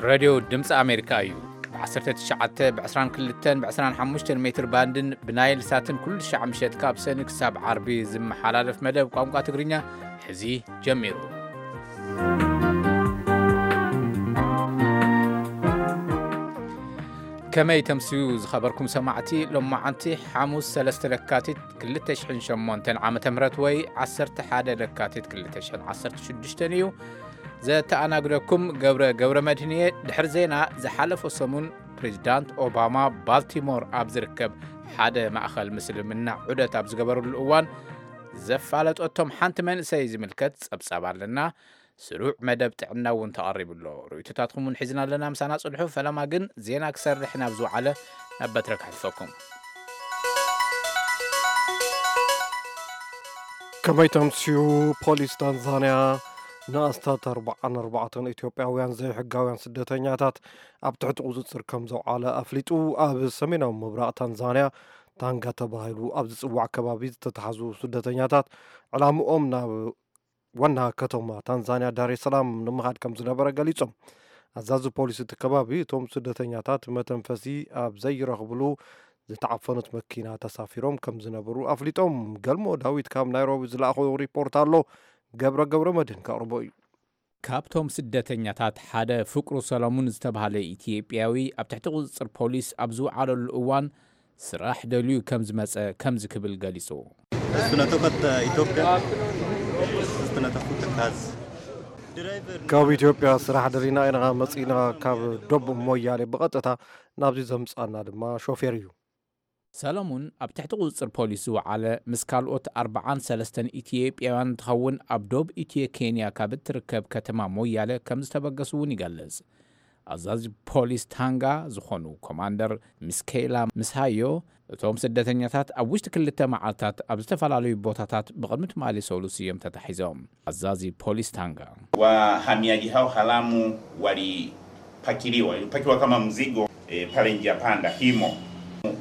ሬድዮ ድምፂ ኣሜሪካ እዩ። ብ19፣ ብ22፣ ብ25 ሜትር ባንድን ብናይል ሳትን ኩሉ ሻዕ ምሸት ካብ ሰኒ ክሳብ ዓርቢ ዝመሓላለፍ መደብ ቋንቋ ትግርኛ ሕዚ ጀሚሩ። ከመይ ተምስዩ ዝኸበርኩም ሰማዕቲ፣ ሎማዓንቲ ሓሙስ ሰለስተ ለካቲት ክልተ ሽሕን ሸሞንተን ዓመተ ምህረት ወይ ዓሰርተ ሓደ ለካቲት ክልተ ሽሕን ዓሰርተ ሽዱሽተን እዩ። ዘተኣናግደኩም ገብረ ገብረ መድህን እየ። ድሕሪ ዜና፣ ዝሓለፈ ሰሙን ፕሬዚዳንት ኦባማ ባልቲሞር ኣብ ዝርከብ ሓደ ማእኸል ምስልምና ዑደት ኣብ ዝገበረሉ እዋን ዘፋለጠቶም ሓንቲ መንእሰይ ዝምልከት ጸብጻብ ኣለና። ስሩዕ መደብ ጥዕና እውን ተቐሪቡ ኣሎ። ርእይቶታትኩም እውን ሒዝና ኣለና። ምሳና ጽንሑ። ፈለማ ግን ዜና ክሰርሕ ናብ ዝወዓለ ናብ በትረ ከሕልፈኩም። ከመይ ተምስዩ? ፖሊስ ታንዛንያ ንኣስታት ኣርባዓን ኣርባዕተን ኢትዮጵያውያን ዘይሕጋውያን ስደተኛታት ኣብ ትሕቲ ቁጽጽር ከም ዘውዓለ ኣፍሊጡ። ኣብ ሰሜናዊ ምብራቕ ታንዛንያ ታንጋ ተባሂሉ ኣብ ዝጽዋዕ ከባቢ ዝተታሕዙ ስደተኛታት ዕላምኦም ናብ ዋና ከተማ ታንዛንያ ዳሬ ሰላም ንምኻድ ከም ዝነበረ ገሊጾም። ኣዛዚ ፖሊስ እቲ ከባቢ እቶም ስደተኛታት መተንፈሲ ኣብ ዘይረኽብሉ ዝተዓፈኑት መኪና ተሳፊሮም ከም ዝነበሩ ኣፍሊጦም። ገልሞ ዳዊት ካብ ናይሮቢ ዝለኣኾ ሪፖርት ኣሎ፣ ገብረ ገብረ መድህን ከቕርቦ እዩ። ካብቶም ስደተኛታት ሓደ ፍቅሩ ሰለሙን ዝተባህለ ኢትዮጵያዊ ኣብ ትሕቲ ቁጽጽር ፖሊስ ኣብ ዝወዓለሉ እዋን ስራሕ ደልዩ ከም ዝመጸ ከምዚ ክብል ገሊጹ። እሱ ነተኮት ኢትዮጵያ፣ እሱ ነተኩት ተካዝ። ካብ ኢትዮጵያ ስራሕ ደሊና ኢና መጺና፣ ካብ ዶብ ሞያሌ ብቐጥታ ናብዚ ዘምጻና ድማ ሾፌር እዩ። ሰለሙን ኣብ ትሕቲ ቁጽጽር ፖሊስ ዝወዓለ ምስ ካልኦት ኣርባዓን ሰለስተን ኢትዮጵያውያን እንትኸውን፣ ኣብ ዶብ ኢትዮ ኬንያ ካብ እትርከብ ከተማ ሞያለ ከም ዝተበገሱ እውን ይገልጽ። ኣዛዚ ፖሊስ ታንጋ ዝኾኑ ኮማንደር ሚስኬላ ምስሃዮ፣ እቶም ስደተኛታት ኣብ ውሽጢ ክልተ መዓልታት ኣብ ዝተፈላለዩ ቦታታት ብቕድሚ ትማሊ ሰሉስ እዮም ተታሒዞም። ኣዛዚ ፖሊስ ታንጋ። Wahamiaji hao haramu walipakiliwa, ilipakiwa kama mzigo, e, pale njia panda Himo.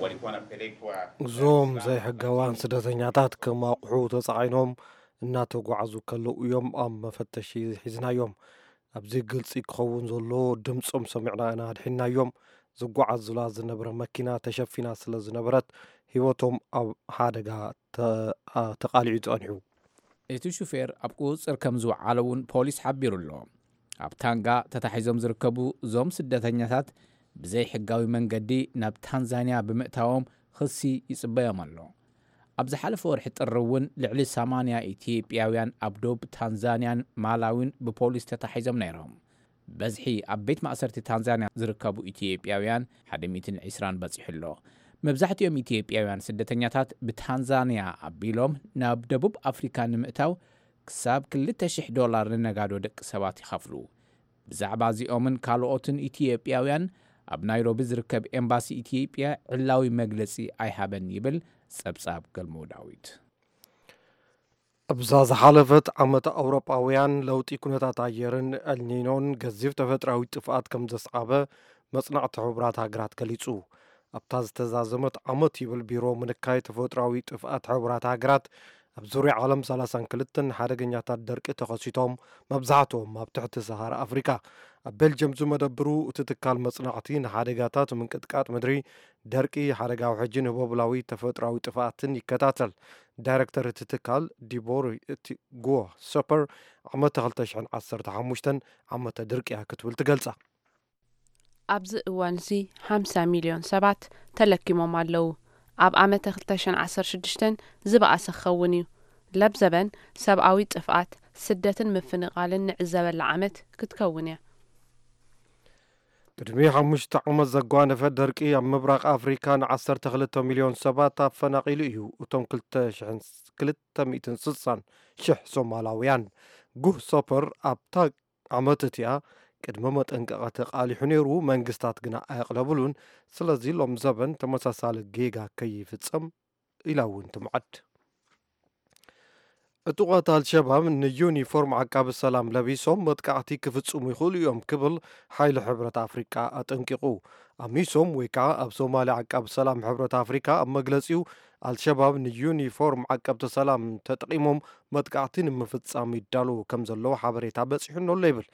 Walikuwa wanapelekwa እዞም ዘይሕጋውያን ስደተኛታት ከም ኣቑሑ ተጻዒኖም እናተጓዓዙ ከለዉ እዮም ኣብ መፈተሺ ሒዝናዮም። ኣብዚ ግልጺ ክኸውን ዘሎ፣ ድምጾም ሰሚዕና ኢና ኣድሒንናዮም። ዝጓዓዙላ ዝነበረ መኪና ተሸፊና ስለ ዝነበረት ህይወቶም ኣብ ሓደጋ ተ-፣ ኣ-፣ ተቓሊዑ ጸኒሑ። እቲ ሹፌር ኣብ ቁጽጽር ከም ዝወዓለ እውን ፖሊስ ሓቢሩ ኣሎ። ኣብ ታንጋ ተታሒዞም ዝርከቡ እዞም ስደተኛታት ብዘይሕጋዊ መንገዲ ናብ ታንዛንያ ብምእታዎም ክሲ ይጽበዮም ኣሎ። ኣብ ዝሓለፈ ወርሒ ጥሪ እውን ልዕሊ ሰማንያ ኢትዮጵያውያን ኣብ ዶብ ታንዛንያን ማላዊን ብፖሊስ ተታሒዞም ነይሮም። በዝሒ ኣብ ቤት ማእሰርቲ ታንዛንያ ዝርከቡ ኢትዮጵያውያን ሓደ ሚእትን ዕስራን በጺሑ ኣሎ። መብዛሕትኦም ኢትዮጵያውያን ስደተኛታት ብታንዛንያ ኣቢሎም ናብ ደቡብ ኣፍሪካ ንምእታው ክሳብ ክልተ ሽሕ ዶላር ንነጋዶ ደቂ ሰባት ይኸፍሉ። ብዛዕባ እዚኦምን ካልኦትን ኢትዮጵያውያን ኣብ ናይሮቢ ዝርከብ ኤምባሲ ኢትዮጵያ ዕላዊ መግለጺ ኣይሃበን ይብል ጸብጻብ ገልሞ ዳዊት። ኣብዛ ዝሓለፈት ዓመት ኣውሮጳውያን ለውጢ ኩነታት ኣየርን ኤልኒኖን ገዚፍ ተፈጥራዊ ጥፍኣት ከም ዘስዓበ መጽናዕቲ ሕቡራት ሃገራት ገሊጹ። ኣብታ ዝተዛዘመት ዓመት ይብል ቢሮ ምንካይ ተፈጥራዊ ጥፍኣት ሕቡራት ሃገራት ኣብ ዙርያ ዓለም ሰላሳን ክልተን ሓደገኛታት ደርቂ ተኸሲቶም፣ መብዛሕትኦም ኣብ ትሕቲ ሰሃራ ኣፍሪካ። ኣብ ቤልጅየም ዝመደብሩ እቲ ትካል መጽናዕቲ ንሓደጋታት ምንቅጥቃጥ ምድሪ፣ ደርቂ፣ ሓደጋ ውሕጅን ህቦብላዊ ተፈጥራዊ ጥፍኣትን ይከታተል። ዳይረክተር እቲ ትካል ዲቦር እቲ ጉ ሰፐር ዓመተ ክልተ ሽሕን ዓሰርተ ሓሙሽተን ዓመተ ድርቂ እያ ክትብል ትገልጻ። ኣብዚ እዋን እዚ ሓምሳ ሚልዮን ሰባት ተለኪሞም ኣለዉ። ኣብ ዓመተ ክልተ ሽሕን ዓሰርተ ሽዱሽተን ዝበኣሰ ክኸውን እዩ። ለብዘበን ሰብኣዊ ጥፍኣት፣ ስደትን ምፍንቓልን ንዕዘበላ ዓመት ክትከውን እያ። ቅድሚ ሓሙሽተ ዓመት ዘጓነፈ ደርቂ ኣብ ምብራቕ ኣፍሪካ ን ዓሰርተ ክልተ ሚልዮን ሰባት ኣፈናቒሉ እዩ። እቶም ክልተ ሽሕን ክልተ ሚእትን ስሳን ሽሕ ሶማላውያን። ጉህ ሶፐር ኣብታ ዓመት እቲኣ ቅድመ መጠንቀቐቲ ቃሊሑ ነይሩ፣ መንግስታት ግና ኣየቕለብሉን። ስለዚ ሎም ዘበን ተመሳሳሊ ጌጋ ከይፍጸም ኢላ እውን ትምዓድ። ዕጡቓት ኣልሸባብ ንዩኒፎርም ዓቃቢ ሰላም ለቢሶም መጥቃዕቲ ክፍጽሙ ይኽእሉ እዮም ክብል ሓይሊ ሕብረት ኣፍሪቃ ኣጠንቂቑ። ኣሚሶም ወይ ከዓ ኣብ ሶማልያ ዓቃቢ ሰላም ሕብረት ኣፍሪቃ ኣብ መግለጺኡ ኣልሸባብ ንዩኒፎርም ዓቀብቲ ሰላም ተጠቒሞም መጥቃዕቲ ንምፍጻም ይዳለዉ ከም ዘለዉ ሓበሬታ በጺሑኒ ኣሎ ይብል።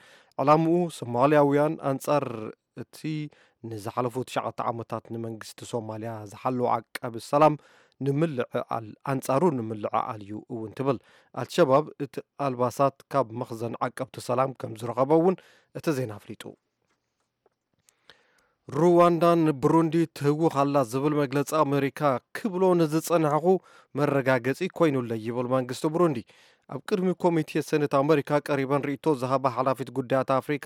ዕላምኡ ሶማልያውያን ኣንጻር እቲ ንዝሓለፉ ትሽዓተ ዓመታት ንመንግስቲ ሶማልያ ዝሓለወ ዓቃቢ ሰላም ንምልዕዓል፣ ኣንጻሩ ንምልዕዓል እዩ እውን ትብል። ኣልሸባብ እቲ ኣልባሳት ካብ መኽዘን ዓቀብቲ ሰላም ከም ዝረኸቦ እውን እቲ ዜና ኣፍሊጡ። ሩዋንዳ ንብሩንዲ ትህውኽ ኣላ ዝብል መግለጺ ኣሜሪካ ክብሎ ንዝጸናሕኹ መረጋገጺ ኮይኑለይ ይብል መንግስቲ ብሩንዲ። ኣብ ቅድሚ ኮሚቴ ሰነት ኣሜሪካ ቀሪበን ርእይቶ ዝሃባ ሓላፊት ጉዳያት ኣፍሪካ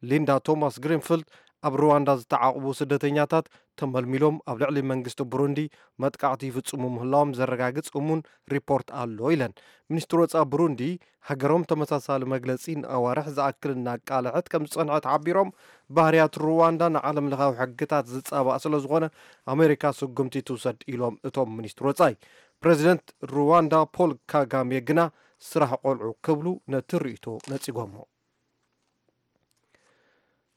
ሊንዳ ቶማስ ግሪንፊልድ፣ ኣብ ሩዋንዳ ዝተዓቕቡ ስደተኛታት ተመልሚሎም ኣብ ልዕሊ መንግስቲ ብሩንዲ መጥቃዕቲ ይፍጽሙ ምህላዎም ዘረጋግጽ እሙን ሪፖርት ኣሎ ኢለን። ሚኒስትሪ ወጻኢ ብሩንዲ ሃገሮም ተመሳሳሊ መግለጺ ንኣዋርሕ ዝኣክል እናቃልዐት ከም ዝጸንሐት ሓቢሮም፣ ባህርያት ሩዋንዳ ንዓለም ለኻዊ ሕግታት ዝጻባእ ስለ ዝኾነ ኣሜሪካ ስጉምቲ ትውሰድ ኢሎም እቶም ሚኒስትሪ ወጻኢ። ፕሬዚደንት ሩዋንዳ ፖል ካጋሜ ግና ስራሕ ቆልዑ ክብሉ ነቲ ርእይቶ ነጺጎሞ።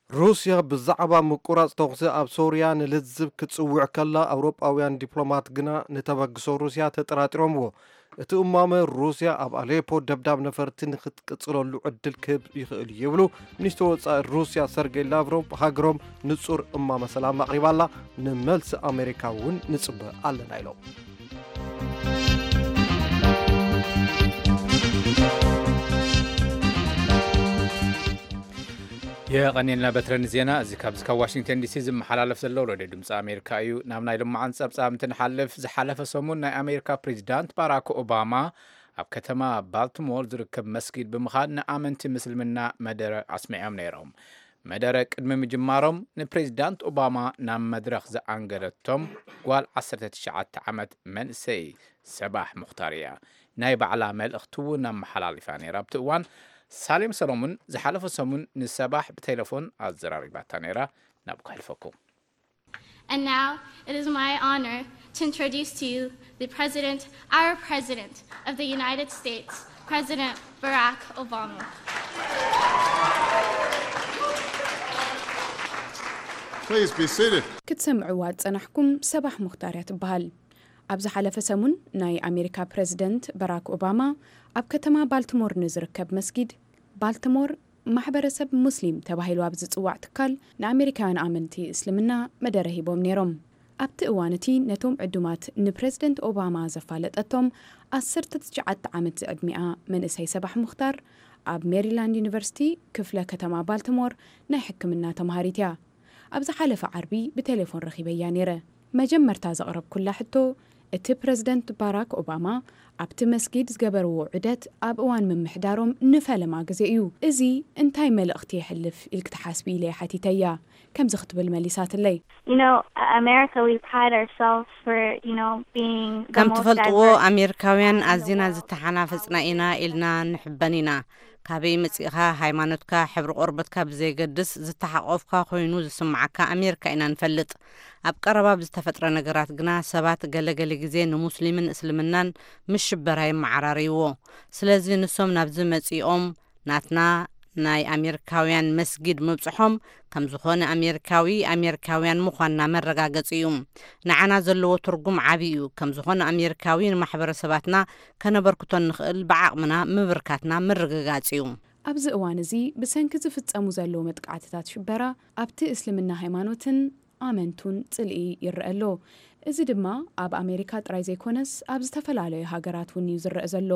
ሩስያ ብዛዕባ ምቁራጽ ተኹሲ ኣብ ሶርያ ንልዝብ ክትጽውዕ ከላ፣ ኣውሮጳውያን ዲፕሎማት ግና ንተበግሶ ሩስያ ተጠራጢሮምዎ። እቲ እማመ ሩስያ ኣብ ኣሌፖ ደብዳብ ነፈርቲ ንክትቅጽለሉ ዕድል ክህብ ይኽእል እዩ ይብሉ። ሚኒስትሪ ወጻኢ ሩስያ ሰርጌይ ላቭሮቭ ሃገሮም ንጹር እማመ ሰላም ኣቕሪባላ፣ ንመልሲ ኣሜሪካ እውን ንጽበ ኣለና ኢሎም። የቐኔልና በትረን ዜና። እዚ ካብዚ ካብ ዋሽንግተን ዲሲ ዝመሓላለፍ ዘሎ ሬድዮ ድምፂ ኣሜሪካ እዩ። ናብ ናይ ልማዓን ፀብፃብ እንትንሓልፍ፣ ዝሓለፈ ሰሙን ናይ ኣሜሪካ ፕሬዚዳንት ባራክ ኦባማ ኣብ ከተማ ባልቲሞር ዝርከብ መስጊድ ብምኻድ ንኣመንቲ ምስልምና መደረ ኣስሚዖም ነይሮም። መደረ ቅድሚ ምጅማሮም ንፕሬዚዳንት ኦባማ ናብ መድረኽ ዝኣንገደቶም ጓል ዓሰርተ ትሽዓተ ዓመት መንእሰይ ሰባሕ ሙኽታር እያ። ናይ ባዕላ መልእኽቲ እውን ኣመሓላሊፋ ነይራ። ኣብቲ እዋን ሳሌም ሰሎሙን ዝሓለፈ ሰሙን ንሰባሕ ብቴሌፎን ኣዘራሪባታ ነይራ። ናብ ከሕልፈኩም። And now, it is my honor to introduce to you the President, our President of the United States, President Barack Obama. Please be seated. ክትሰምዕዋ ዝጸናሕኩም ሰባሕ ሙኽታር እያ ትበሃል። ኣብ ዝሓለፈ ሰሙን ናይ ኣሜሪካ ፕረዚደንት በራክ ኦባማ ኣብ ከተማ ባልቲሞር ንዝርከብ መስጊድ፣ ባልቲሞር ማሕበረሰብ ሙስሊም ተባሂሉ ኣብ ዝጽዋዕ ትካል ንኣሜሪካውያን ኣመንቲ እስልምና መደረ ሂቦም ነይሮም። ኣብቲ እዋን እቲ ነቶም ዕዱማት ንፕረዚደንት ኦባማ ዘፋለጠቶም ዓሰርተ ትሽዓተ ዓመት ዝዕድሚኣ መንእሰይ ሰባሕ ሙኽታር ኣብ ሜሪላንድ ዩኒቨርሲቲ ክፍለ ከተማ ባልቲሞር ናይ ሕክምና ተምሃሪት እያ። ኣብ ዝሓለፈ ዓርቢ ብቴሌፎን ረኺበያ ነይረ። መጀመርታ ዘቕረብኩላ ሕቶ፣ እቲ ፕረዚደንት ባራክ ኦባማ ኣብቲ መስጊድ ዝገበርዎ ዑደት ኣብ እዋን ምምሕዳሮም ንፈለማ ግዜ እዩ። እዚ እንታይ መልእኽቲ የሕልፍ ኢልኪ ትሓስቢ ኢለ ሓቲተያ። ከምዚ ክትብል መሊሳትለይ። You know, America, we pride ourselves for, you know, being the ከም most ትፈልጥዎ diverse ኣሜሪካውያን country in the ኣዚና world. ዝተሓናፈጽና ኢና ኢልና ንሕበን ኢና። ካበይ መጺእኻ፣ ሃይማኖትካ፣ ሕብሪ ቆርበትካ ብዘየገድስ ዝተሓቆፍካ ኮይኑ ዝስምዓካ ኣሜሪካ ኢና ንፈልጥ። ኣብ ቀረባ ብዝተፈጥረ ነገራት ግና ሰባት ገለገለ ግዜ ንሙስሊምን እስልምናን ምስ ሽበራ የመዓራርይዎ። ስለዚ ንሶም ናብዚ መጺኦም ናትና ናይ ኣሜሪካውያን መስጊድ ምብጽሖም ከም ዝኾነ ኣሜሪካዊ ኣሜሪካውያን ምዃንና መረጋገጺ እዩ። ንዓና ዘለዎ ትርጉም ዓቢ እዩ። ከም ዝኾነ ኣሜሪካዊ ንማሕበረሰባትና ከነበርክቶ እንኽእል ብዓቕምና ምብርካትና ምርግጋጽ እዩ። ኣብዚ እዋን እዚ ብሰንኪ ዝፍጸሙ ዘለዉ መጥቃዕትታት ሽበራ ኣብቲ እስልምና ሃይማኖትን ኣመንቱን ጽልኢ ይረአ ኣሎ። እዚ ድማ ኣብ ኣሜሪካ ጥራይ ዘይኮነስ ኣብ ዝተፈላለዩ ሃገራት እውን እዩ ዝረአ ዘሎ።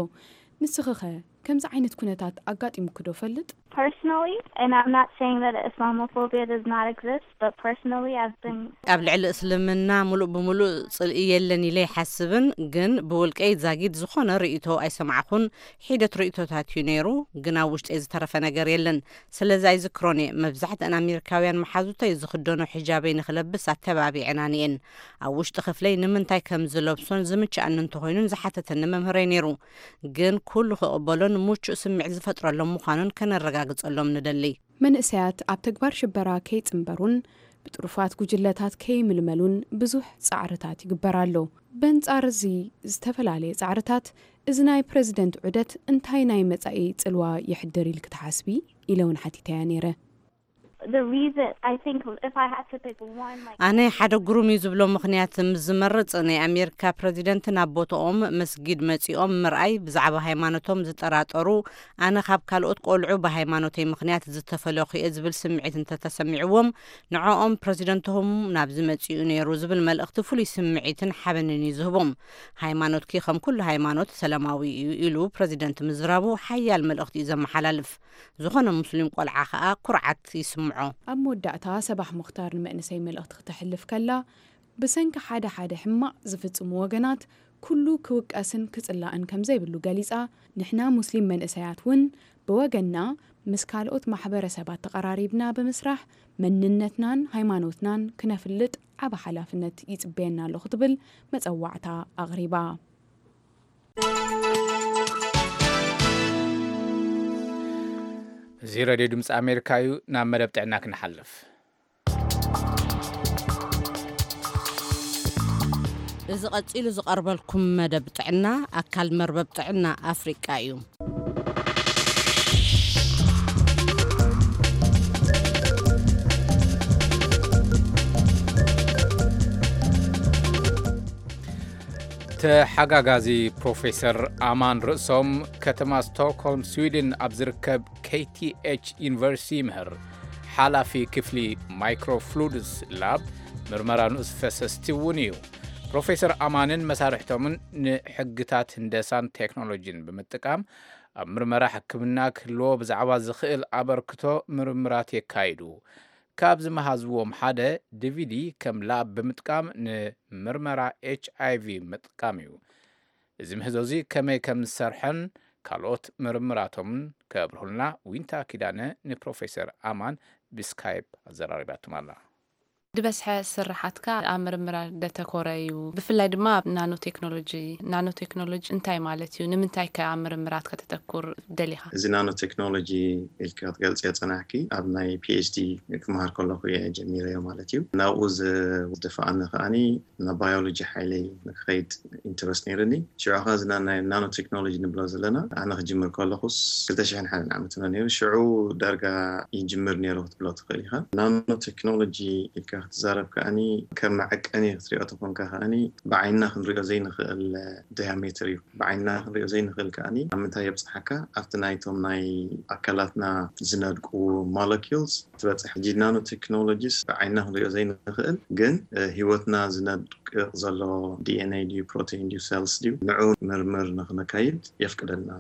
ንስኺኸ ከምዚ ዓይነት ኩነታት ኣጋጢሙኪ ዶ ፈልጥ? Personally, and I'm not saying that Islamophobia does not exist, but personally, I've been ኣብ ልዕሊ እስልምና ሙሉእ ብሙሉእ ጽልኢ የለን ኢለ ኣይሓስብን፣ ግን ብውልቀይ ዛጊድ ዝኾነ ርእይቶ ኣይሰማዕኹን። ሒደት ርእይቶታት እዩ ነይሩ፣ ግን ኣብ ውሽጠይ ዝተረፈ ነገር የለን። ስለዚ ኣይዝክሮን እየ። መብዛሕትአን ኣሜሪካውያን መሓዙተይ ዝኽደኖ ሒጃበይ ንኽለብስ ኣተባቢዐናኒ እየን። ኣብ ውሽጢ ክፍለይ ንምንታይ ከም ዝለብሶን ዝምችኣኒ እንተኾይኑን ዝሓተተኒ መምህረይ ነይሩ። ግን ኩሉ ክቕበሎን ምቹእ ስምዒት ዝፈጥረሎም ምዃኑን ከነረጋግጸሎም ንደሊ። መንእሰያት ኣብ ተግባር ሽበራ ከይጽንበሩን ብጥሩፋት ጉጅለታት ከይምልመሉን ብዙሕ ጻዕርታት ይግበር ኣሎ። በንጻር እዚ ዝተፈላለየ ጻዕርታት፣ እዚ ናይ ፕረዚደንት ዑደት እንታይ ናይ መጻኢ ጽልዋ የሕድር ኢልኪ ትሓስቢ? ኢለ እውን ሓቲተያ ነይረ። The reason, I think, if I had to pick one, like, ኣነ ሓደ ግሩም እዩ ዝብሎ ምኽንያት ምስ ዝመርጽ፣ ናይ ኣሜሪካ ፕረዚደንት ናብ ቦታኦም መስጊድ መጺኦም ምርኣይ፣ ብዛዕባ ሃይማኖቶም ዝጠራጠሩ፣ ኣነ ካብ ካልኦት ቆልዑ ብሃይማኖተይ ምኽንያት ዝተፈለኹ እየ ዝብል ስምዒት እንተተሰሚዕዎም፣ ንዕኦም ፕረዚደንትኹም ናብዚ መጺኡ ነይሩ ዝብል መልእኽቲ ፍሉይ ስምዒትን ሓበንን እዩ ዝህቦም። ሃይማኖትኪ ከም ኩሉ ሃይማኖት ሰላማዊ እዩ ኢሉ ፕረዚደንት ምዝራቡ ሓያል መልእኽቲ እዩ ዘመሓላልፍ። ዝኾነ ሙስሊም ቆልዓ ከኣ ኩርዓት ይስምዖ። ኣብ መወዳእታ ሰባሕ ሙኽታር ንመንእሰይ መልእኽቲ ክተሕልፍ ከላ፣ ብሰንኪ ሓደ ሓደ ሕማቕ ዝፍጽሙ ወገናት ኩሉ ክውቀስን ክጽላእን ከም ዘይብሉ ገሊጻ፣ ንሕና ሙስሊም መንእሰያት እውን ብወገንና ምስ ካልኦት ማሕበረሰባት ተቐራሪብና ብምስራሕ መንነትናን ሃይማኖትናን ክነፍልጥ ዓቢ ሓላፍነት ይጽበየና ኣሎ ክትብል መጸዋዕታ ኣቕሪባ። እዚ ሬድዮ ድምፂ ኣሜሪካ እዩ። ናብ መደብ ጥዕና ክንሓልፍ። እዚ ቀጺሉ ዝቐርበልኩም መደብ ጥዕና ኣካል መርበብ ጥዕና ኣፍሪቃ እዩ። ተሓጋጋዚ ፕሮፌሰር ኣማን ርእሶም ከተማ ስቶክሆልም ስዊድን ኣብ ዝርከብ ኬቲኤች ዩኒቨርሲቲ ይምህር። ሓላፊ ክፍሊ ማይክሮፍሉድስ ላብ ምርመራ ንኡስ ፈሰስቲ እውን እዩ። ፕሮፌሰር ኣማንን መሳርሕቶምን ንሕግታት ህንደሳን ቴክኖሎጂን ብምጥቃም ኣብ ምርመራ ሕክምና ክህልዎ ብዛዕባ ዝኽእል ኣበርክቶ ምርምራት የካይዱ። ካብ ዝመሃዝዎም ሓደ ዲቪዲ ከም ላብ ብምጥቃም ንምርመራ ኤች ኣይ ቪ ምጥቃም እዩ። እዚ ምህዞ እዚ ከመይ ከም ዝሰርሐን ካልኦት ምርምራቶምን ከብርሁልና ዊንታ ኪዳነ ንፕሮፌሰር ኣማን ብስካይፕ ኣዘራሪባትም ኣላ። ዝበዝሐ ስርሓትካ ኣብ ምርምራት ደተኮረ እዩ። ብፍላይ ድማ ኣብ ናኖ ቴክኖሎጂ። ናኖ ቴክኖሎጂ እንታይ ማለት እዩ? ንምንታይ ከ ኣብ ምርምራት ከተተኩር ደሊኻ? እዚ ናኖ ቴክኖሎጂ ኢልካ ክትገልጽዮ ጸናሕኪ፣ ኣብ ናይ ፒኤችዲ ክመሃር ከለኹ እየ ጀሚረዮ ማለት እዩ። ናብኡ ዝ-፣ ዝደፍኣኒ ከኣኒ ናብ ባዮሎጂ ሓይለይ ንክኸይድ ኢንተረስት ነይርኒ። ሽዑ ኸ እዚ ና-፣ ናይ ናኖ ቴክኖሎጂ ንብሎ ዘለና፣ ኣነ ክጅምር ከለኹስ ክልተ ሽሕን ሓደን ዓመት ነው ነይሩ። ሽዑ ዳርጋ ይጅምር ነይሩ ክትብሎ ትኽእል ኢኻ። ናኖ ቴክኖሎጂ ኢልካ ክትዛረብ ከኣኒ ከም መዐቀኒ ክትሪኦ ተኾንካ ከኣኒ ብዓይንና ክንሪኦ ዘይንኽእል ዳያሜትር እዩ። ብዓይንና ክንሪኦ ዘይንኽእል ከኣኒ ኣብ ምንታይ የብጽሓካ? ኣብቲ ናይቶም ናይ ኣካላትና ዝነድቁ ሞለኪውልስ ትበጽሕ። ሕጂ ናኖ ቴክኖሎጂስ ብዓይንና ክንሪኦ ዘይንኽእል ግን፣ እ፣ ህይወትና ዝነድቅቕ ዘሎ ዲ ኤን ኤ ድዩ፣ ፕሮቲን ድዩ፣ ሴልስ ድዩ፣ ንዑ ምርምር ንኽነካይድ የፍቅደልና።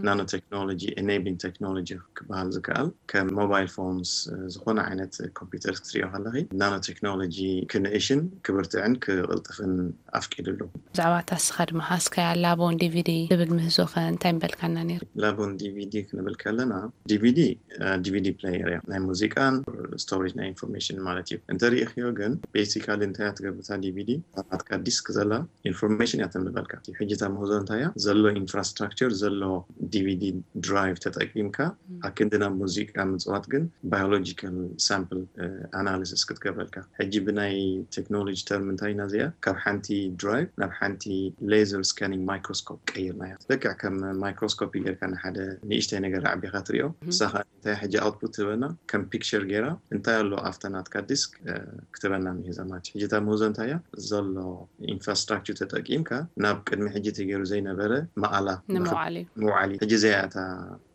ናኖ ቴክኖሎጂ፣ ኤኔብሊንግ ቴክኖሎጂ ክበሃል ዝከኣል፣ ከም ሞባይል ፎንስ፣ እ፣ ዝኾነ ዓይነት ኮምፒውተር ክትሪኦ ከለኺ፣ ናኖ ቴክኖሎጂ ክንእሽን ክብርትዕን ክቕልጥፍን ኣፍቂዱ ኣሎ። ብዛዕባ እታ እስኻ ድማ ሃስካያ ላቦን ዲቪዲ ትብል ምህዞ ኸ እንታይ ምበልካና ነይሩ? ላቦን ዲቪዲ ክንብል ከለና፣ ዲቪዲ፣ እ፣ ዲቪዲ ፕሌየር እያ። ናይ ሙዚቃን ስቶሬጅ ናይ ኢንፎርሜሽን ማለት እዩ። እንተሪእኽዮ ግን፣ ቤሲካሊ እንታይ እያ ትገብር እታ ዲቪዲ? ናትካ ዲስክ ዘላ ኢንፎርሜሽን እያ ተንብበልካ። ሕጂ እታ ምህዞ እንታይ እያ? ዘሎ ኢንፍራስትራክቸር፣ ዘሎ ዲቪዲ ድራይቭ ተጠቂምካ፣ ኣክንዲ ናብ ሙዚቃ ምጽዋት ግን ባዮሎጂካል ሳምፕል፣ እ፣ ኣናሊሲስ ክትገብረልካ። ሕጂ ብናይ ቴክኖሎጂ ተርም እንታይ ኢና እዚኣ? ካብ ሓንቲ ድራይቭ ናብ ሓንቲ ሌዘር ስካኒንግ ማይክሮስኮፕ ቀይርናያ። ልክዕ ከም ማይክሮስኮፕ ጌርካ ንሓደ ንእሽተይ ነገር ኣዕቢኻ ትሪኦ። ንሳ ኸኣ እንታይ ሕጂ ኣውትፑት ትህበና? ከም ፒክቸር ጌራ እንታይ ኣሎ ኣብታ ናትካ ዲስክ፣ እ፣ ክትበና ምሂዛ ማለት እዩ። ሕጂ እታ ምህዞ እንታይ እያ? ዘሎ ኢንፍራስትራክቸር ተጠቂምካ ናብ ቅድሚ ሕጂ ተገይሩ ዘይነበረ መኣላ ንምውዓል እዩ። ምውዓል እዩ። ሕጂ እዚኣ እያ እታ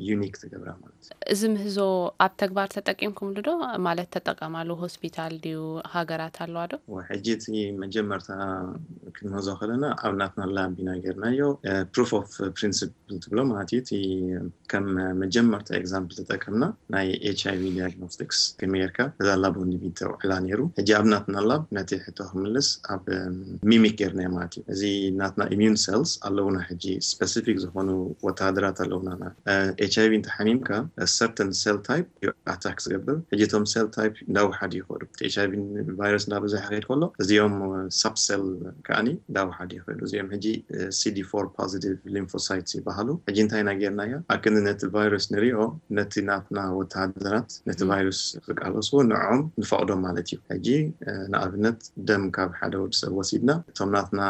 ዩኒክ ትገብራ ማለት እዩ። እዚ ምህዞ ኣብ ተግባር ተጠቂምኩምሉ ዶ? ማለት ተጠቀማሉ ሆስፒታል ድዩ? ሃገራት ኣለዋ ዶ? ወ፣ ሕጂ እቲ መጀመርታ ክንምህዞ ከለና ኣብ ናትና ላብ ኢና ጌርናዮ። እ፣ ፕሩፍ ኦፍ ፕሪንስፕል ትብሎ ማለት እዩ። እቲ ከም መጀመርታ ኤግዛምፕል ተጠቀምና ናይ ኤች ኣይ ቪ ዲያግኖስቲክስ ከመይ ጌርካ እዛ ላብ ኦን ዲቪዲ ተውዕላ ነይሩ። ሕጂ ኣብ ናትና ላብ ነቲ ሕቶ ክምልስ ኣብ፣ እም፣ ሚሚክ ጌርናዮ ማለት እዩ። እዚ ናትና ኢሚዩን ሴልስ ኣለውና፣ ሕጂ ስፐሲፊክ ዝኾኑ ወተሃደራት ኣለውና። እ፣ ኤች ኣይ ቪ እንተሓሚምካ ሰርተን ሴል ታይፕ እዩ ኣታክ ዝገብር። ሕጂ እቶም ሴል ታይፕ እንዳወሓዱ ይኸዱ። እቲ ኤች ኣይ ቪ ቫይረስ እንዳበዝሐ ክኸይድ ከሎ እዚኦም ሳብ ሴል ከኣኒ እንዳወሓዱ ይኸዱ። እዚኦም ሕጂ ሲ ዲ ፎር ፖዚቲቭ ሊምፎሳይትስ ይበሃሉ። ሕጂ እንታይ ኢና ጌርናዮ? ኣክንዲ ነቲ ቫይረስ ንሪኦ፣ ነቲ ናትና ወተሃደራት ነቲ ም። ቫይረስ ክቃለስዎ ንዖም ንፈቕዶም ማለት እዩ። ሕጂ፣ እ፣ ንኣብነት ደም ካብ ሓደ ወዲ ሰብ ወሲድና፣ እቶም ናትና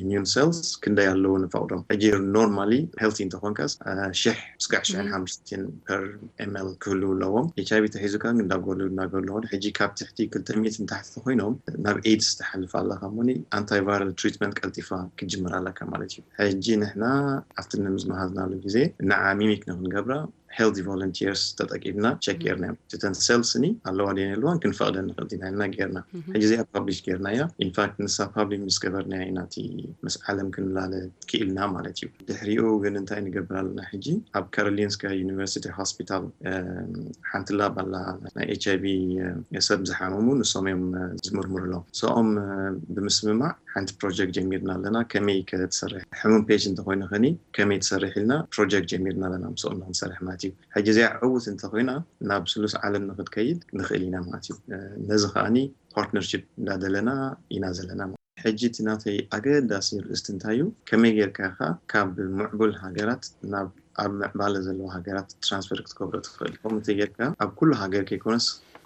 ኢሚዩን ሴልስ ክንደይ ኣለዉ ንፈቕዶም። ሕጂ ኖርማሊ ሄልቲ እንተኾንካስ፣ እ፣ ሽሕ ስጋዕ ሽሕን ሓሙሽተን ፐር ኤምኤል ክህሉ ኣለዎም። ኤች ኣይቪ ተሒዙካ ግን እንዳጎሉ እንዳጎሉ ሆን ሕጂ ካብ ትሕቲ ክልተ ሚእቲ ንታሕቲ ኮይኖም ናብ ኤድስ ትሓልፍ ኣለካ። ሞኒ ኣንታይቫይራል ትሪትመንት ቀልጢፋ ክትጅምር ኣለካ ማለት እዩ። ሕጂ ንሕና ኣብቲ ንምዝመሃዝናሉ ግዜ ንዓ ሚሚክ ንክንገብራ ሄልቲ ቮለንቲርስ ተጠቂምና ቸክ ጌርና እዮም። እተን ሴልስ ኒ ኣለዋ ድየን የልዋን ክንፈቕደን ንኽእል ኢና ኢልና ጌርና። ሕጂ እዚኣ ፓብሊሽ ጌርና እያ። ኢንፋክት ንሳ ፓብሊክ ምስ ገበርና ኢና እቲ ምስ ዓለም ክንላለ ክኢልና ማለት እዩ። ድሕሪኡ ግን እንታይ ንገብር ኣለና ሕጂ? ኣብ ካሮሊንስካ ዩኒቨርሲቲ ሆስፒታል ሓንቲ ላብ ኣላ፣ ናይ ኤች ኣይቪ ሰብ ዝሓመሙ ንሶም እዮም ዝምርምሩ ኣለዉ። ሰኦም ብምስምማዕ ሓንቲ ፕሮጀክት ጀሚርና ኣለና። ከመይ ከትሰርሕ ሕሙም ፔሽንት እንተኮይኑ ከኒ ከመይ ትሰርሕ ኢልና ፕሮጀክት ጀሚርና ኣለና። ምስኦም ንክንሰርሕ ማለት እዩ። ሕጂ እዚኣ ዕውት እንተኮይና ናብ ስሉስ ዓለም ንክትከይድ ንክእል ኢና ማለት እዩ። ነዚ ከዓኒ ፓርትነርሽፕ እንዳደለና ኢና ዘለና። ሕጂ እቲ ናተይ ኣገዳሲ ርእስቲ እንታይ እዩ? ከመይ ጌርካ ኢኻ ካብ ምዕቡል ሃገራት ናብ ኣብ ምዕባለ ዘለዎ ሃገራት ትራንስፈር ክትገብሮ ትኽእል? ከምኡ እንተጌርካ ኣብ ኩሉ ሃገር ከይኮነስ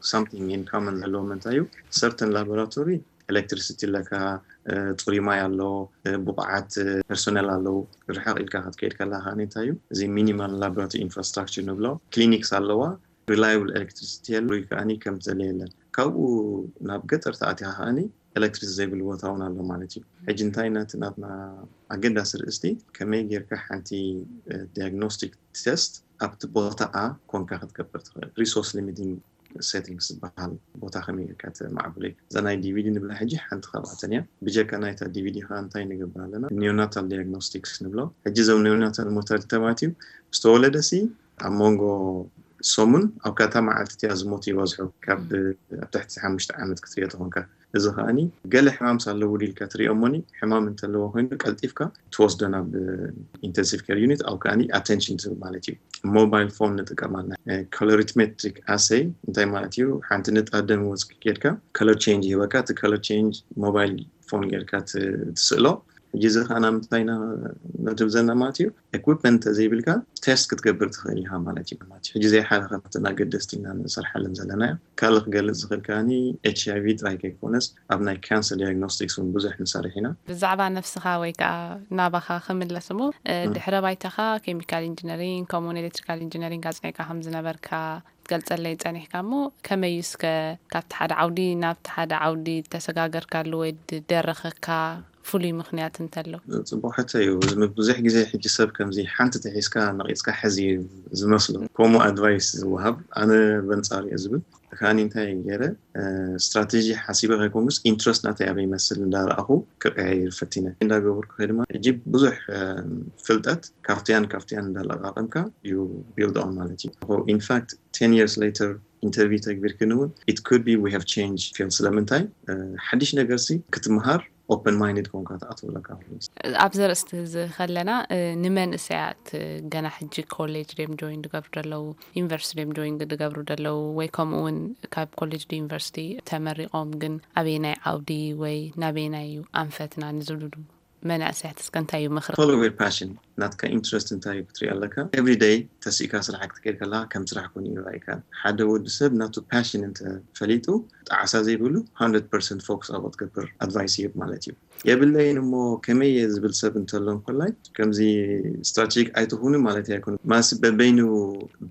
ሳምቲንግ ኢን ካመን ዘለዎም እንታይ እዩ? ሰርተን ላቦራቶሪ ኤሌክትሪሲቲ ኣለካ፣ ጽሩይ ማይ ኣሎ፣ ብቑዓት ፐርሶነል ኣለዉ። ርሕቕ ኢልካ ክትከይድ ከለካ ከኣ እንታይ እዩ? እዚ ሚኒማል ላቦራቶሪ ኢንፍራስትራክቸር ንብሎ፣ ክሊኒክስ ኣለዋ፣ ሪላይብል ኤሌክትሪሲቲ የለ፣ ጽሩይ ከኣ ከም ዝደለ የለን። ካብኡ ናብ ገጠር ተኣቲኻ ከኣ ኤሌክትሪክ ዘይብሉ ቦታ እውን ኣሎ ማለት እዩ። ሕጂ እንታይ ናቲ ናትና ኣገዳሲ ርእስቲ ከመይ ጌርካ ሓንቲ ዲያግኖስቲክ ቴስት ኣብቲ ቦታኣ ኮንካ ክትገብር ትኽእል። ሪሶርስ ሊሚቲንግ ሴቲንግስ ዝበሃል ቦታ ከመይ ጌርካ ተማዕብሎ እዩ። እዛ ናይ ዲቪዲ ንብላ ሕጂ ሓንቲ ካብኣተን እያ። ብጀካ ናይታ ዲቪዲ ከ እንታይ ንገብር ኣለና? ኒዮናታል ዲያግኖስቲክስ ንብሎ። ሕጂ እዞም ኒዮናታል ሞርታሊቲ ተባትዩ ዝተወለደ ሲ ኣብ መንጎ ሰሙን ኣብ ካታ መዓልቲ እቲኣ ዝሞት ይበዝሑ። ካብ ኣብ ትሕቲ ሓሙሽተ ዓመት ክትሪኦ ተኾንካ። እዚ ከኣኒ ገለ ሕማም ሳለዎ ኢልካ ትሪኦ እሞኒ ሕማም እንተለዎ ኮይኑ ቀልጢፍካ ትወስዶ ናብ ኢንተንሲቭ ኬር ዩኒት ኣብ ከኣኒ ኣቴንሽን ትህብ ማለት እዩ። ሞባይል ፎን ንጥቀም ኣለና። ኮሎሪትሜትሪክ ኣሰይ እንታይ ማለት እዩ? ሓንቲ ንጣብ ደም ወፅኪ ጌርካ ከለር ቼንጅ ይህበካ። እቲ ከለር ቼንጅ ሞባይል ፎን ጌርካ ት- ትስእሎ። ሕጂ እዚ ከኣ ናብ ምንታይ ኢና ነድብ ዘለና ማለት እዩ? ኤኩፕመንት ተዘይብልካ ቴስት ክትገብር ትኽእል ኢኻ ማለት እዩ። ሕጂ ዘይሓለኸ ካብተን ኣገደስቲ ኢና ንሰርሓለን ዘለና እያ። ካልእ ክገልጽ ዝኽእል ከኣኒ ኤች ኣይ ቪ ጥራይ ከይኮነስ ኣብ ናይ ካንሰር ዲያግኖስቲክስ እውን ብዙሕ ንሰርሕ ኢና። ብዛዕባ ነፍስኻ ወይ ከዓ ናባኻ ክምለስ እሞ፣ እ፣ ድሕረ ባይታኻ ኬሚካል ኢንጂነሪንግ ከምኡውን ኤሌክትሪካል ኢንጂነሪንግ ኣጽኒዕካ ከም ዝነበርካ ክትገልጸለይ ጸኒሕካ እሞ፣ ከመይ እዩ እስከ ካብቲ ሓደ ዓውዲ ናብቲ ሓደ ዓውዲ ተሰጋገርካሉ ወይ ድደረኸካ ፍሉይ ምኽንያት እንተሎ? ጽቡቕ ሕቶ እዩ። እዚ ብዙሕ ግዜ ሕጂ ሰብ ከምዚ ሓንቲ ተሒዝካ ነቒጽካ ሕዚ እዩ ዝመስሎ። ከምኡ ኣድቫይስ ዝወሃብ ኣነ በንጻሩ እየ ዝብል። ከኣኒ እንታይ ገይረ፣ ስትራቴጂ ሓሲበ ከይኮንኩስ ኢንትረስት ናተይ ኣበይ ይመስል እንዳረኣኹ ክቀያይር ፈቲነ። እንዳገበርኩ ከ ድማ ሕጂ ብዙሕ ፍልጠት ካብቲያን ካብቲያን እንዳለቃቀምካ ዩ ቢልድ ኦን ማለት እዩ። ኢንፋክት ቴን ይርስ ሌተር ኢንተርቪው ተግቢርክኒ እውን it could be we have change ፊልድ። ስለምንታይ ሓድሽ ነገር ሲ ክትምሃር ኦፕን ማይንድ ኮንካ ትኣትወለካ። ኣብዚ ርእስቲ እዚ ከለና፣ እ፣ ንመንእሰያት፣ እ፣ ገና ሕጂ ኮሌጅ ድዮም ጆይን ዝገብሩ ዘለዉ፣ ዩኒቨርሲቲ ድዮም ጆይን ዝገብሩ ዘለዉ፣ ወይ ከምኡ እውን ካብ ኮሌጅ ዶ ዩኒቨርሲቲ ተመሪቖም ግን ኣበየናይ ዓውዲ ወይ ናበየናይ እዩ ኣንፈትና ንዝብሉ መናእሰያት እስከ እንታይ እዩ ምኽሪ? ፎሎ ዩር ፓሽን። ናትካ ኢንትረስት እንታይ እዩ ክትርኢ ኣለካ። ኤቭሪ ደይ ተሲእካ ስራሕ ክትከይድ ከለካ ከም ስራሕ ኮይኑ ይረኣይካ። ሓደ ወዲ ሰብ ናቱ ፓሽን እንተፈሊጡ ጣዕሳ ዘይብሉ ሃንድረድ ፐርሰንት ፎክስ ኣብኡ ትገብር ኣድቫይስ ይህብ ማለት እዩ። የብለይን እሞ ከመይ እየ ዝብል ሰብ እንተሎ እንኮላይ ከምዚ ስትራቴጂክ ኣይትኹኑ ማለት ኣይኮኑ። ማስ በበይኑ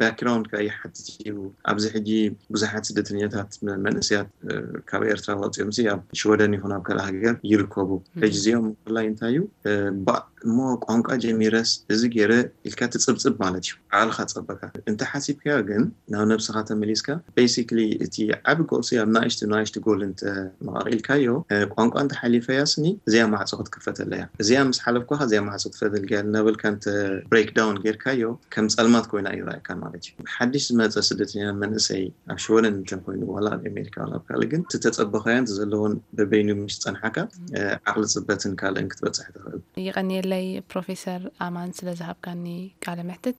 ባክግራውንድ ካ ይሓትት እዩ። ኣብዚ ሕጂ ብዙሓት ስደተኛታት መ- መንእሰያት እ፣ ካብ ኤርትራ ወፂኦም ሲ ኣብ ሽወደን ይኹን ኣብ ካልእ ሃገር ይርከቡ። ሕጂ እዚኦም ምፍላይ እንታይ እዩ እ፣ ባ እሞ ቋንቋ ጀሚረስ እዚ ገይረ ኢልካ ትፅብፅብ ማለት እዩ። ዓቕልኻ ፀበካ እንተ ሓሲብካዮ ግን ናብ ነብስኻ ተመሊስካ ቤሲክሊ እቲ ዓቢ ጎል ሲ ኣብ ናእሽቱ ናእሽቱ ጎል እንተ መቓቒልካዮ እ፣ ቋንቋ እንተ ሓሊፈያ ስኒ እዚኣ ማዕፆ ክትክፈተላ እያ። እዚኣ ምስ ሓለፍኳ እዚኣ ማዕፆ ትፈተልካ እያ እናበልካ እንተ ብሬክ ዳውን ጌርካዮ ከም ጸልማት ኮይና ይረኣየካ ማለት እዩ። ሓድሽ ዝመፀ ስደተኛ መንእሰይ ኣብ ሽወደን እንተ ኮይኑ ዋላ ኣብ ኣሜሪካ ዋላ ኣብ ካልእ ግን እቲ ተፀበኻዮን እቲ ዘለዎን በበይኑ ምስ ፀንሓካ እ፣ ዓቕሊ ፅበትን ካልእን ክትበፅሕ ትኽእል። ይቐንየለይ ፕሮፌሰር ኣማን ስለ ዝሃብካኒ ቃለ መሕትት።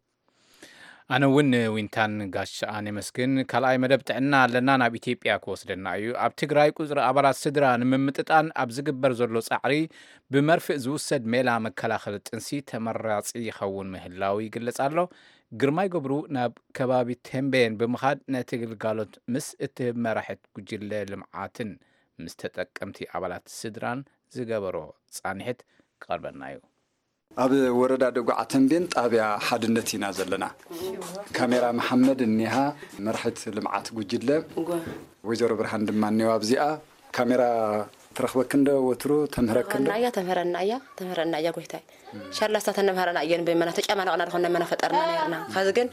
ኣነ እውን ዊንታን ጋሻኣን የመስግን። ካልኣይ መደብ ጥዕና ኣለና ናብ ኢትዮጵያ ክወስደና እዩ። ኣብ ትግራይ ቁፅሪ ኣባላት ስድራ ንምምጥጣን ኣብ ዝግበር ዘሎ ፃዕሪ ብመርፍእ ዝውሰድ ሜላ መከላኸሊ ጥንሲ ተመራፂ ይኸውን ምህላው ይግለፅ ኣሎ። ግርማይ ገብሩ ናብ ከባቢ ቴምቤን ብምኻድ ነቲ ግልጋሎት ምስ እትህብ መራሒት ጉጅለ ልምዓትን ምስ ተጠቀምቲ ኣባላት ስድራን ዝገበሮ ፃንሒት ክቐርበልና እዩ። ኣብ ወረዳ ደጉዓ ተምቤን ጣብያ ሓድነት ኢና ዘለና። ካሜራ መሓመድ እኒሃ፣ መራሒት ልምዓት ጉጅለ። እጓ። ወይዘሮ ብርሃን ድማ እኒዋ ኣብዚኣ። ካሜራ ትረኽበክን ዶ ወትሩ? ተምህረክን ዶ? ተምህረና እያ፣ ተምህረና እያ፣ ተምህረና እያ ጎይታይ። ሻላስታ ተነምህረና እየን በመና ተጨማለቕና ድኾን ነመና ፈጠርና ነርና። ኸዚ ግን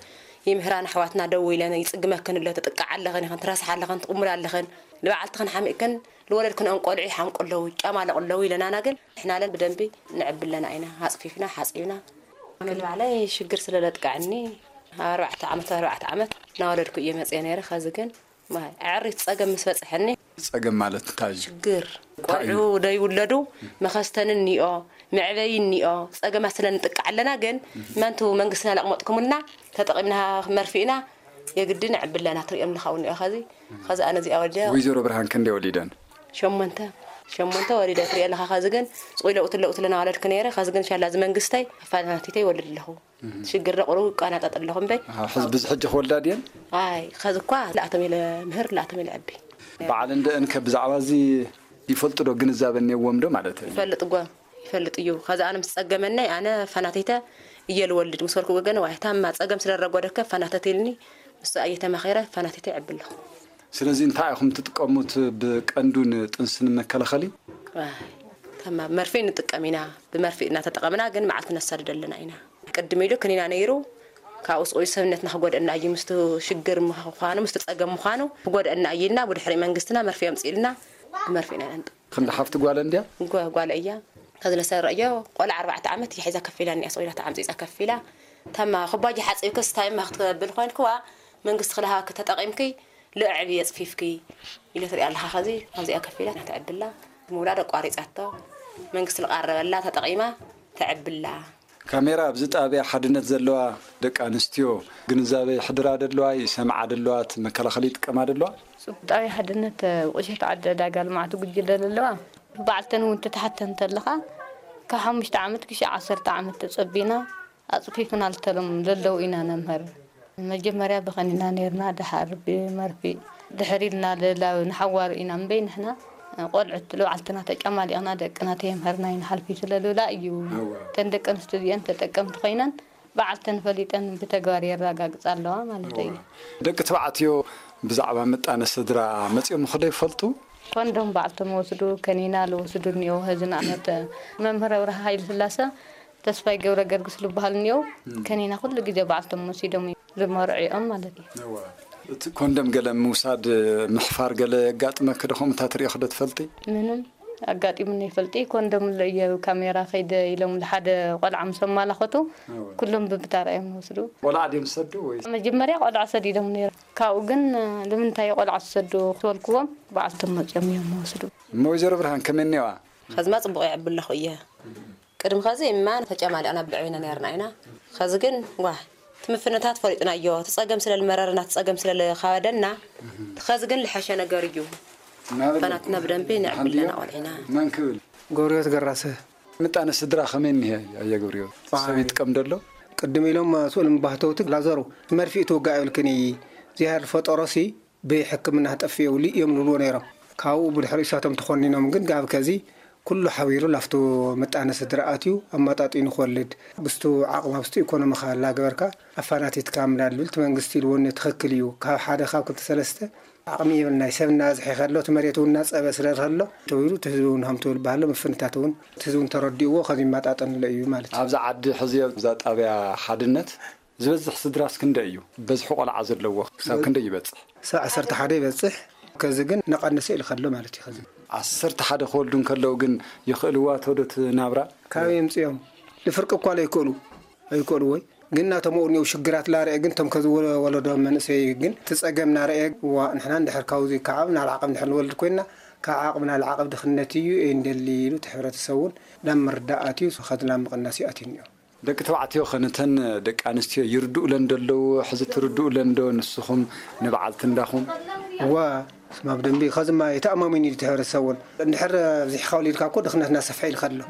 ይምህራን ኣሕዋትና ደው ኢለን ይጽግመክን ኣሎ፣ ትጥቃዕ ኣለኽን ኢኽን፣ ትረስሓ ኣለኽን፣ ትቕሙላ ኣለኽን፣ ንበዓልትኽን ሓሚእክን፣ ንወለድክን እንቆልዑ ይሓምቁ ኣለዉ፣ ይጨማለቑ ኣለዉ ኢለናና ግን ንሕና ለን ብደንቢ ንዕብለና ኢና። ኣጽፊፍና፣ ሓጺብና። ግን ባዕለይ ሽግር ስለ ለጥቃዕኒ ኣብ ኣርባዕተ ዓመት፣ ኣርባዕተ ዓመት እናወለድኩ እየ መጽየ ነይረ። ኸዚ ግን ማይ ኣዕሪት ጸገም ምስ በጽሐኒ። ጸገም ማለት እንታይ እዩ? ሽግር እንታይ እዩ? ቆልዑ ደይውለዱ መኸስተኒ እኒኦ፣ መዕበዪ እኒኦ፣ ጸገማት ስለ ንጥቃዕ ኣለና። ግን መንቱ መንግስትና ለቕመጥኩምልና ተጠቒምና መርፊእና የግዲ ንዕብለና ትሪኦም ኣለኻ እውን እኒኦ። ኸዚ ኸዚ ኣነ እዚኣ ወልደ ወይዘሮ ብርሃን ክንደይ ወሊደን? ሸሞንተ ሸሞንተ ወሊደ ትሪኦ ኣለኻ። ኸዚ ግን ጽቑይ ለውቲ ለውቲ ለና ወለድክ ነይረ። ኸዚ ግን ሻላ እዚ መንግስተይ ኣፋናቲተይ ይወልድ ኣለኹ። ሽግር ደቑሩ ይቋናጠጥ ኣለኹ እምበይ። ኣሃ፣ ሕዚ ብዚ ሕጂ ክወልዳ ድየን? ኣይ፣ ኸዚ እኳ ላእቶም ኢለ ምህር ላእቶም ኢለ ዕቢ። በዓል እንደ እንከ ብዛዕባ እዚ ይፈልጡ ዶ? ግንዛበ እኒዎም ዶ ማለት እዩ? ይፈልጥ እጓ፣ ይፈልጥ እዩ። ኸዚ ኣነ ምስ ጸገመናይ ኣነ ፋናቲተ እየ ልወልድ ምስ በልኩ ወገን ዋይ ታማ ጸገም ስለ ረጎደከ ፋናተት ኢልኒ ምስ ኣየ ተማኺረ ፋናቲተ ይዕቢ ኣለኹ። ስለዚ እንታይ ኢኹም ትጥቀሙት ብቀንዱ ንጥንሲ ንመከላኸሊ? ኣይ፣ ታማ መርፌ ንጥቀም ኢና። ብመርፌ እናተጠቐምና ግን መዓልቲ ነሳድድ ኣለና ኢና። ቅድም ኢሉ ክኒና ነይሩ። ካብኡ ስቑይ ሰብነትና ክጎድአና እዩ። ምስቲ ሽግር ምዃኑ፣ ምስቲ ጸገም ምዃኑ ክጎድአና እዩ ኢልና ብድሕሪ መንግስትና መርፌ ኣምጺእልና ብመርፌ ኢና ነንጥ-። ክንዲ ሓፍቲ ጓል እንድያ? ጓ-፣ ጓል እያ። ከዚ ለሰረዮ ቆልዓ ኣርባዕተ ዓመት እያ ሒዛ ከፊላ እኒኣ፣ ስቑይ ኢላ ተዓምጺጻ ከፊላ። ተማ ኩባያ ሓጺብክስ ታይ እማ ክትብል ኮይንክዋ መንግስቲ ክልሃበኪ ተጠቒምኪ ልዕቢ የጽፊፍኪ ኢለ ትሪኣ ኣለኻ። ከዚ ኣብዚኣ ከፊላ ተዕብላ ምውላድ ኣቋሪጻቶ መንግስቲ ልቃረበላ ተጠቒማ ተዕብላ። ካሜራ ኣብዚ ጣብያ ሓድነት ዘለዋ ደቂ ኣንስትዮ ግንዛበ ይሕድራ ደለዋ፣ ይሰምዓ ደለዋ፣ እቲ መከላኸሊ ይጥቀማ ደለዋ? ጽቡቅ። ጣብያ ሓድነት ቁሸት ዓዲ ዕዳጋ ልምዓት ጉጅለ ዘለዋ በዓልተን እውን ትትሓተን እንተለኻ ካብ ሓሙሽተ ዓመት ክሻዕ ዓሰርተ ዓመት ተጸቢና ኣጽፊፍና ልተሎም ለለዉ ኢና ነምህር። መጀመርያ ብኸኒና ነይርና፣ ደሓር ብመርፊእ፣ ድሕር ኢልና ልላ ንሓዋሩ ኢና እምበይ ንሕና ቆልዑት ልባዕልትና ተጨማሊቕና ደቅና ተየምህርና ይንሓልፊ ስለ ልብላ እዩ። እወ። እተን ደቂ ኣንስትዮ እዚአን ተጠቀምቲ ኮይነን በዓልተን ፈሊጠን ብተግባር የረጋግጻ ኣለዋ ማለት እዩ። እወ። ደቂ ተባዕትዮ ብዛዕባ ምጣነ ስድራ መጺኦምኹ ዶ ይፈልጡ? ኮንዶም ባዕልቶም ወስዱ፣ ከኒና ልወስዱ እኒኦ። ህዚ ንኣብነት መምህር ኣብርሃ ሃይለ ስላሰ ተስፋይ ገብረ ገርግስ ልበሃል እኒኦ። እም። ከኒና ኩሉ ግዜ ባዕልቶም ወሲዶም እዩ ልመርዕኦም ማለት እዩ። እወ። እቲ ኮንደም ገለ ምውሳድ፣ ምሕፋር ገለ የጋጥመኪ ዶ? ከምኡ እንታይ ትሪኦ ዶ ትፈልጢ? ምንም ኣጋጢሙኒ ይፈልጢ። ኮንደም ኣሎ እየ ካሜራ ከይደ ኢሎም ልሓደ ቆልዓ ምስ ኣማላኸቱ እወ። ኩሎም ብብታራ እዮም ወስዱ። ቆልዓ ድዮም ዝሰዱ ወይ? መጀመርያ ቆልዓ ሰዲዶም ነይሮም። ካብኡ ግን ልምንታይ ቆልዓ ትሰዱ ክበልክዎም ባዕልቶም መፅኦም እዮም ወስዱ። እሞ ወይዘሮ ብርሃን ከመይ እኒዋ? ኸዝማ ጽቡቕ ይዕቢ ኣለኹ እየ። ቅድሚ ኸዚ እማ ተጨማሊቕና ብልዑ ኢና ነርና ኢና። ኸዚ ግን፣ ዋህ፣ እቲ ምፍንታት ፈሊጥናዮ፣ እቲ ጸገም ስለ ልመረረና፣ እቲ ጸገም ስለ ልኻበደና፣ ኸዚ ግን ልሐሸ ነገር እዩ። ናበለ? ፈናትና ብደንቢ ንዕብለና ሓልዮ? ቆልዒና። መን ክብል? ገብርዮት ገራሰ። ምጣነ ስድራ ኸመይ እኒሀ፣ ኣየ ገብርዮት? ዋይ። ሰብ ይጥቀም ደሎ? ቅድም ኢሎም፣ ስኡል ምባህተውቲ ላዘሩ፣ መርፊእ ትውጋእ ይብልክን እዪ። እግዚኣብሔር ፈጠሮሲ፣ ብሕክምና ተጠፍኡ ልእዮም ልብልዎ ነይሮም። ካብኡ ብድሕሪ እሳቶም ተኾኒኖም ግን ጋብ ከዚ ኩሉ ሓቢሩ ላፍቱ ምጣነ ስድራ ኣትዩ ኣመጣጢኑ ክወልድ፣ ብስቱ ዓቕማ ብስቱ ኢኮኖሚ ካላ ገበርካ ኣፋናቲትካ ምላድ ልብል እቲ መንግስቲ ኢልዎ እኒ ትኽክል እዩ። ካብ ሓደ ካብ ክልተ ሰለስተ ዓቕሚ የብልናይ፣ ሰብ እናበዝሐ ከሎ እቲ መሬት እውን እናጸበ ስለ ከሎ ተባሂሉ እቲ ህዝቢ እውን ሃም ትብል ባህሎ ምፍንታት እውን እቲ ህዝቢ እውን ተረዲእዎ ከዚ ይመጣጠንሎ እዩ ማለት እዩ። ኣብዚ ዓዲ ሕዚ ኣብዛ ጣብያ ሓድነት ዝበዝሕ ስድራስ ክንደይ እዩ? በዝሒ ቆልዓ ዘለዎ ክሳብ ክንደይ ይበጽሕ? ክሳብ ዓሰርተ ሓደ ይበጽሕ። ከዚ ግን እናቐነሰ ኢሉ ከሎ ማለት እዩ። ከዚ ዓሰርተ ሓደ ክወልዱ እንከለዉ ግን ይኽእልዋ ዶ እቲ ናብራ? ካበይ የምጽኦም? ንፍርቂ እኳ ኣይክእሉ፣ ኣይክእሉ ወይ ግን ናቶም እኒው ሽግራት ላርአ ግን ቶም ከዚ ወ-፣ ወለዶ መንእሰይ ግን እቲ ጸገም ናርአ ዋ ንሕና እንድሕር ካብዚ ካብ ናብ ዓቐብ እንድሕር ንወልድ ኮይንና ካብ ዓቕምና ንዓቐብ ድኽነት እዩ እንደሊ ኢሉ እቲ ሕብረተሰብ እውን ናብ ምርዳእ ኣትዩ ከዚ ናብ ምቕናስ እዩ ኣትዩ እኒኦ። ደቂ ተባዕትዮ ኸ ነተን ደቂ ኣንስትዮ ይርድኡለን ዶ ኣለዉ? ሕዚ ትርድኡለን ዶ ንስኹም ንበዓልቲ እንዳኹም? እዋ፣ ስማ ብደንቢ፣ ኸዚ እማ የተኣማሚኑ እዩ እቲ ሕብረተሰብ እውን። እንድሕር ኣብዚሕኻ ወሊድካ እኮ ድኽነትና ሰፍሐ ኢሉ ከሎ።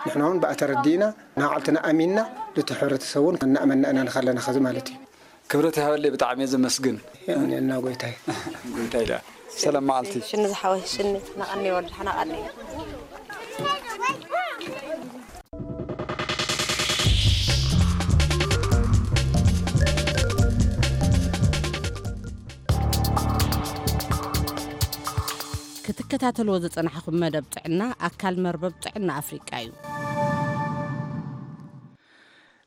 ንሕና እውን ብኣ ተረዲእና፣ ንባዕልትና ኣሚንና፣ ነቲ ሕብረተሰብ እውን እናእመንና ኢና ንኸለና ኸዚ ማለት እዩ። ክብረት ይሃበለይ፣ ብጣዕሚ እየ ዘመስግን። የቐንየልና ጎይታይ። ጎይታይ ደኣ። ሰላም መዓልቲ። ሽኒ ዝሓወይ፣ ሽኒ፣ ናቐኒ ወልድ፣ ናቐኒ። ተከታተልዎ ዝጸናሕኩም መደብ ጥዕና ኣካል መርበብ ጥዕና ኣፍሪቃ እዩ።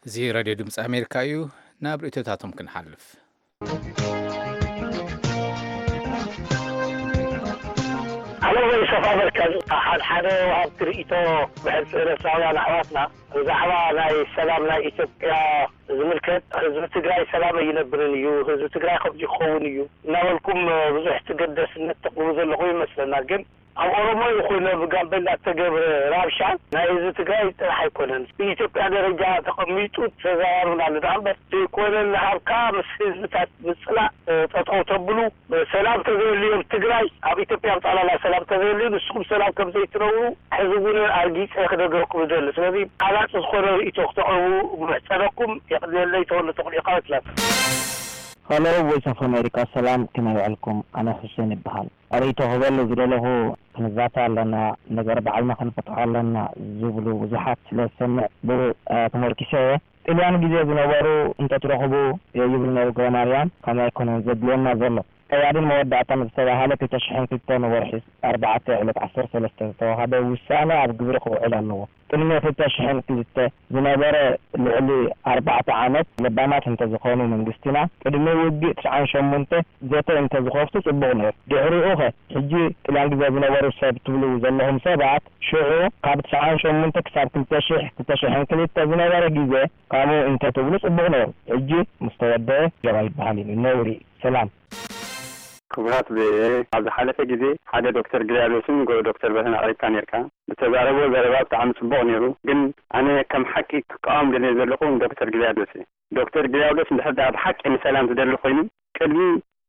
እዚ ሬድዮ ድምፂ ኣሜሪካ እዩ። ናብ ርእይቶታቶም ክንሓልፍ። ኣነ ወይ ሰፋ መርከዝ ሓደ ሓደ ወሃብቲ ርእይቶ ብሕልፊ ኤርትራውያን ኣሕዋትና ብዛዕባ ናይ ሰላም ናይ ኢትዮጵያ ዝምልከት ህዝቢ ትግራይ ሰላም ኣይነብርን እዩ፣ ህዝቢ ትግራይ ከምዚ ክኸውን እዩ እናበልኩም ብዙሕ ተገደስነት ተቕርቡ ዘለኹም ይመስለና። ግን ኣብ ኦሮሞ ይኹን ኣብ ጋምቤላ እተገብረ ራብሻ ናይ ህዝቢ ትግራይ ጥራሕ ኣይኮነን። ብኢትዮጵያ ደረጃ ተቐሚጡ ተዘራርብናሉ ደኣ እምበር ዘይኮነ እናሃብካ ምስ ህዝብታት ምጽላእ ጠጠው ተብሉ። ሰላም ተዘየልዩ ኣብ ትግራይ ኣብ ኢትዮጵያ ብጠቕላላ ሰላም ተዘየልዩ ንስኹም ሰላም ከም ዘይትነብሩ ሕዚ እውን ኣርጊፀ ክነግረኩም ይደሊ። ስለዚ ሓላፅ ዝኾነ ርእይቶ ክተቕርቡ ምሕፀነኩም። የቕንየለይ። ተወልደ ተኽሉ ኢኻ ትላታ። ሃሎ ቮይስ ኦፍ ኣሜሪካ ሰላም ከመይ ውዕልኩም? ኣነ ሑሴን ይበሃል። ርእይቶ ክበሉ ዝደለኹ ክንዛተ ኣለና፣ ነገር ባዕልና ክንፈትሖ ኣለና ዝብሉ ብዙሓት ስለ ዝሰምዕ ብኡ ተመርኪሰ እየ። ጥልያን ግዜ ዝነበሩ እንተትረኽቡ ይብል ነይሩ ገብረማርያም፣ ከምኡ ኣይኮነን ዘድልየና ዘሎ። ቀያድን መወዳእታን ዝተባህለ ክልተ ሽሕን ክልተን ወርሒ ኣርባዕተ ዕለት ዓሰርተ ሰለስተ ዝተዋሃበ ውሳነ ኣብ ግብሪ ክውዕል ኣለዎ። ቅድሚ ክልተ ሽሕን ክልተ ዝነበረ ልዕሊ ኣርባዕተ ዓመት ለባማት እንተዝኾኑ መንግስትና ቅድሚ ውግእ ትስዓን ሸሞንተ ዘተ እንተዝኸፍቱ ጽቡቕ ነይሩ። ድሕሪኡ ኸ ሕጂ ጥልያን ግዜ ዝነበሩ ሰብ ትብሉ ዘለኹም ሰባት ሽዑ ካብ ትስዓን ሸሞንተ ክሳብ ክልተ ሽሕ ክልተ ሽሕን ክልተ ዝነበረ ግዜ ከምኡ እንተትብሉ ጽቡቕ ነይሩ። ሕጂ ምስ ተወደአ ጀባ ይበሃል እዩ። ነውሪ። ሰላም። ክቡራት ቪኦኤ፣ ኣብ ዝሓለፈ ግዜ ሓደ ዶክተር ግሪያዶስን ንግሆ ዶክተር በርሀን ኣቕሪብካ ነይርካ። ዝተዛረብዎ ዘረባ ብጣዕሚ ጽቡቕ ነይሩ፣ ግን ኣነ ከም ሓቂ ክቃወም ደልየ ዘለኹ ንዶክተር ግሪያዶስ እየ። ዶክተር ግሪያዶስ እንድሕር ደኣ ብሓቂ ንሰላም ዝደሊ ኮይኑ ቅድሚ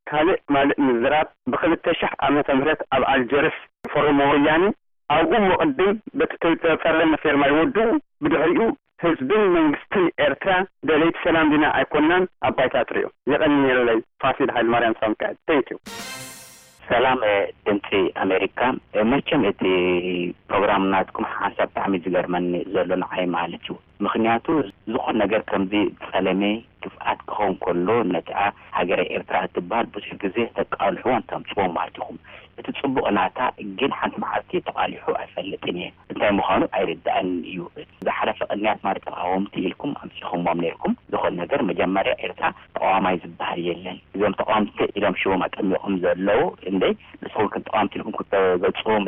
ካልእ ማልእ ምዝራብ ብክልተ ሽሕ ዓመተ ምህረት ኣብ ኣልጀርስ ፈረሞ ወያነ ኣብኡ ምቕድም በቲ ተፈረመ ፌርማ ይወድኡ ብድሕሪኡ ህዝብን መንግስትን ኤርትራ ደለይቲ ሰላም ዲና ኣይኮናን ኣብ ባይታ ትሪኦ። የቐንየለይ። ፋሲል ሃይለማርያም ሳምካኤል። Thank you። ሰላም ድምፂ ኣሜሪካ፣ መቸም እቲ ፕሮግራም ናትኩም ሓንሳብ ብጣዕሚ ዝገርመኒ ዘሎ ንዓይ ማለት እዩ። ምኽንያቱ ዝኾነ ነገር ከምዚ ጸለመ ግፍዓት ክኸውን ከሎ ነቲኣ ሃገረ ኤርትራ እትበሃል ብዙሕ ግዜ ተቃልሕዎን ተምጽዎ ማለት ኢኹም። እቲ ጽቡቕ ናታ ግን ሓንቲ መዓልቲ ተቓሊሑ ኣይፈልጥን እየ። እንታይ ምዃኑ ኣይርድኣንን እዩ። ዝሓለፈ ቅንያት ማለት ተቓወምቲ ኢልኩም ኣምጺኹሞም ነይርኩም። ዝኾነ ነገር መጀመርያ ኤርትራ ተቓዋማይ ዝበሃል የለን። እዞም ተቓወምቲ ኢሎም ሽሞም ኣጠሚቖም ዘለዉ እንዴ ንስኹም ከም ተቓወምቲ ኢልኩም ክትገልጽዎም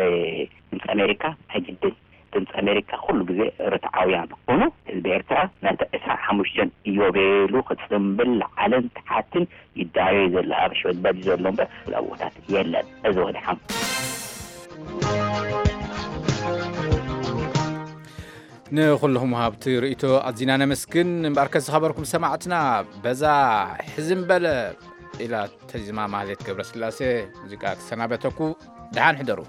ድምፂ ኣሜሪካ ኣይግድን። ድምፂ ኣሜሪካ ኩሉ ግዜ ርትዓውያን ክኾኑ ህዝቢ ኤርትራ ነቲ ዕስራን ሓሙሽተን ኢዮቤሉ ክፅምብል ላዕልን ታሕትን ይዳዮ ዘሎ ኣብ ሽበት በዲ ዘሎ እምበር ኣብቦታት የለን። እዚ ወድሓም ንኹልኹም ሃብቲ ርእይቶ ኣዚና ነመስግን። እምበኣርከ ዝኸበርኩም ሰማዕትና በዛ ሕዝም በለ ኢላ ተዚማ ማህሌት ገብረስላሴ ሙዚቃ ክሰናበተኩ። ደሓን ሕደሩ።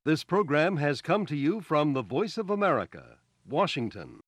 This program has come to you from the Voice of America, Washington.